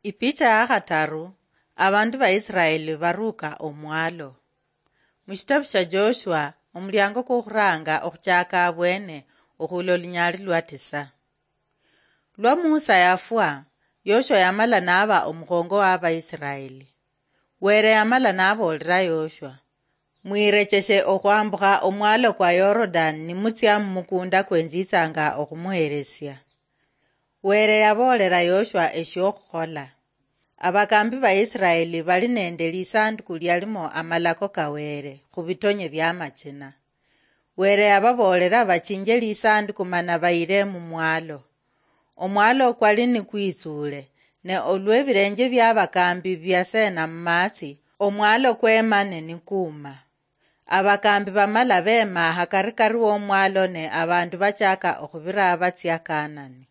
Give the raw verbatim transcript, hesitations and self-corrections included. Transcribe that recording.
Ipicha ya khataru. Abandu ba Israeli baruka omwalo. Mushitabu sha Joshua, omulyango kwokhuranga okhuchaka abwene okhula olunyali lwa tisa. Lwa Musa yafwa, Yoshua yamala naba omukhongo wa Abaisiraeli. Were yamala naboolera Yoshua, "Mwiirecheshe okhwambukha omwalo kwa Yorodani nimutsia mumukunda kwenjitsanga okhumuheresia." Were yaboolera Yoshua eshiokhuhola. Abakambi ba Israeli bali nende lisanduku lialimo amalako ka Were khubitonye biamachina. Were yababoolera bachinje lisanduku mana bayire mumwalo. Omwalo kwali nikwitsuule, ne olwebilenje biabakambi biasena mumatsi, omwalo kwemane nikuuma. Abakambi bamala bema hakarikari womwalo ne abandu bachaka okhubira batsia Kanani.